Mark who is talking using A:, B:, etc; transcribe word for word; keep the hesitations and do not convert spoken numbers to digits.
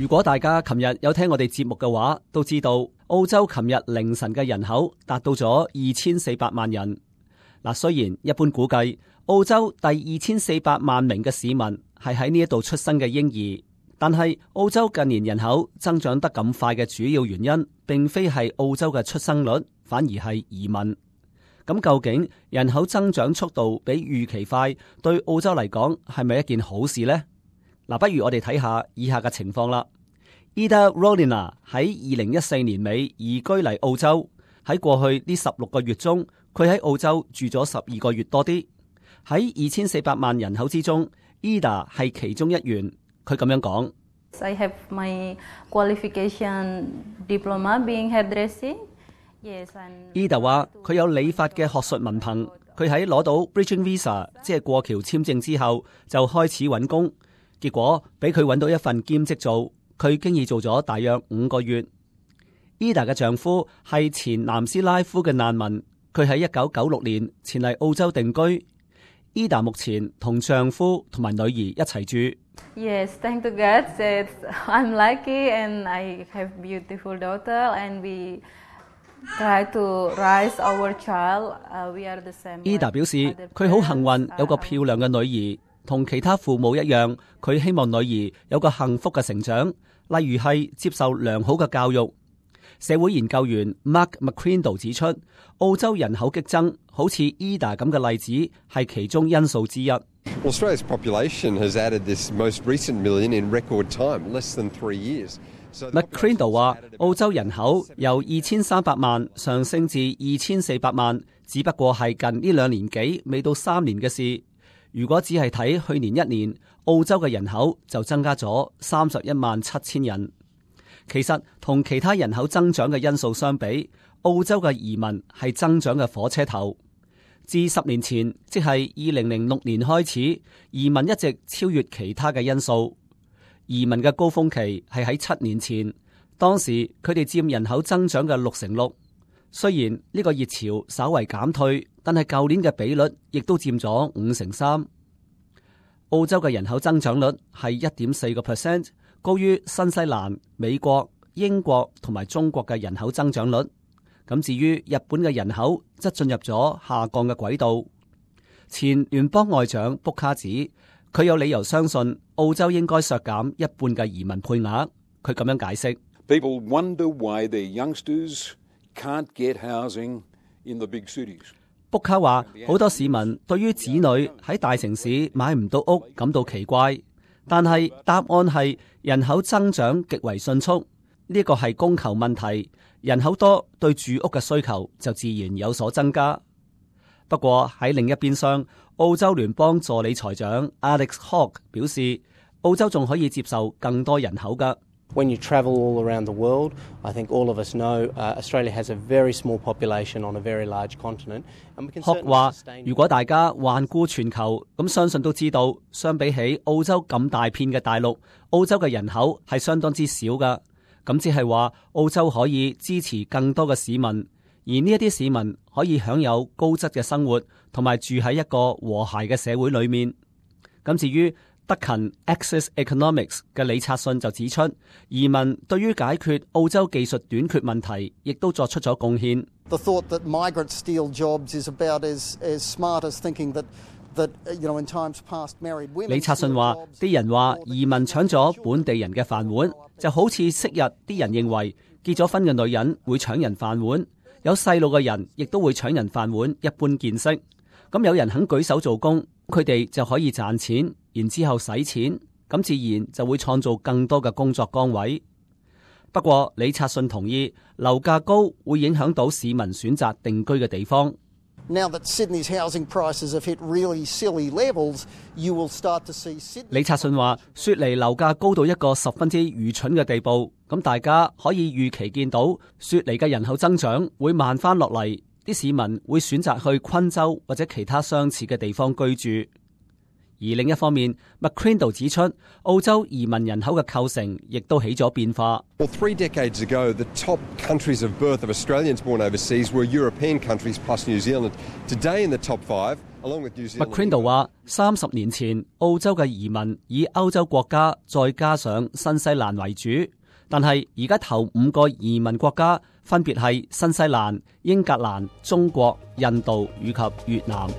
A: 如果大家琴日有聽我哋節目嘅話，都知道澳洲琴日凌晨嘅人口達到咗二千四百萬人。嗱，雖然一般估計澳洲第二千四百萬名嘅市民係喺呢一度出生嘅嬰兒，但係澳洲近年人口增長得咁快嘅主要原因，並非係澳洲嘅出生率，反而係移民。咁究竟人口增長速度比預期快，對澳洲嚟講係咪一件好事呢？嗱，不如我哋睇下以下嘅情況啦。Ida Rolina 喺二零一四年尾移居嚟澳洲，喺過去呢十六個月中，佢喺澳洲住咗十二個月多啲。喺二千四百萬人口之中 ，Ida 係其中一員。佢咁樣講
B: I have my qualification diploma being hairdressing。Yes,
A: Ida 話佢有理髮嘅學術文憑，佢喺攞到 Bridging Visa 即係過橋簽證之後，就開始揾工。結果俾佢揾到一份兼職做，佢經已做咗大約五個月。Ida 嘅丈夫係前南斯拉夫嘅難民，佢喺一九九六年前嚟澳洲定居。Ida 目前同丈夫同埋女兒一齊住。
B: Yes, thank to God that I'm lucky and I have beautiful daughter and we try to raise our child. Uh, we are the same.
A: Ida 表示佢好幸運有個漂亮嘅女兒。同其他父母一樣，佢希望女兒有個幸福嘅成長，例如係接受良好嘅教育。社會研究員 Mark McCrindle 指出，澳洲人口激增，好似 Ida 咁嘅例子係其中因素之一。
C: Australia's population has added this most recent million in record time, less than three years.
A: McCrindle 話，澳洲人口由二千三百萬上升至二千四百萬，只不過係近呢兩年幾，未到三年嘅事。如果只係睇去年一年，澳洲嘅人口就增加咗三十一萬七千人。其實同其他人口增長嘅因素相比，澳洲嘅移民係增長嘅火車頭。自十年前，即係二零零六年開始，移民一直超越其他嘅因素。移民嘅高峰期係喺七年前，當時佢哋佔人口增長嘅六成六。雖然呢個熱潮稍為減退，但係舊年嘅比率亦都佔咗五成三。澳洲嘅人口增長率係一點四個 percent， 高於新西蘭、美國、英國同埋中國嘅人口增長率。咁至於日本嘅人口則進入咗下降嘅軌道。前聯邦外長卜卡指，佢有理由相信澳洲應該削減一半嘅移民配額。佢咁樣解釋。
D: People wonder why their youngsters can't get housing in the big cities.
A: 卜卡話，好多市民對於子女喺大城市買唔到屋感到奇怪，但係答案係人口增長極為迅速，呢個係供求問題，人口多對住屋嘅需求就自然有所增加。不過喺另一邊廂，澳洲聯邦助理財長 Alex Hawke 表示，澳洲仲可以接受更多人口㗎。
E: When you travel all around the world, I think all of us know uh, Australia has a very small population on a very large continent.
A: 學話，如果大家環顧全球，咁相信都知道，相比起澳洲咁大片嘅大陸，澳洲嘅人口係相當之少㗎。咁即係話，澳洲可以支持更多嘅市民，而呢一啲市民可以享有高質嘅生活，同埋住喺一個和諧嘅社會裏面。咁至於德勤 Access Economics 嘅李察信就指出，移民對於解決澳洲技術短缺問題，亦都作出咗貢獻。
F: The thought that migrants steal jobs is about as as smart as thinking that that you know in times past married women。李
A: 察信話，啲人話移民搶咗本地人嘅飯碗，就好似昔日啲人認為結咗婚嘅女人會搶人飯碗，有細路嘅人亦都會搶人飯碗，一般見識。咁有人肯舉手做工，佢哋就可以賺錢，然之後使錢，咁自然就會創造更多嘅工作崗位。不過李察信同意，樓價高會影響到市民選擇定居嘅地方。
F: Now that Sydney's housing prices have hit really silly levels, you will start to see Sydney。李
A: 察信話，雪梨樓價高到一個十分之愚蠢嘅地步，咁大家可以預期見到雪梨嘅人口增長會慢翻落嚟。啲市民會選擇去昆州或者其他相似嘅地方居住。而另一方面 ，McCrindle 指出，澳洲移民人口嘅構成亦都起咗變化。
C: Well, three decades ago, the top countries of birth of Australians born overseas were European countries plus New Zealand. Today, in the top five, along with New Zealand.
A: McCrindle 話：三十年前，澳洲嘅移民以歐洲國家再加上新西蘭為主，但係而家頭五個移民國家分別係新西蘭、英格蘭、中國、印度以及越南。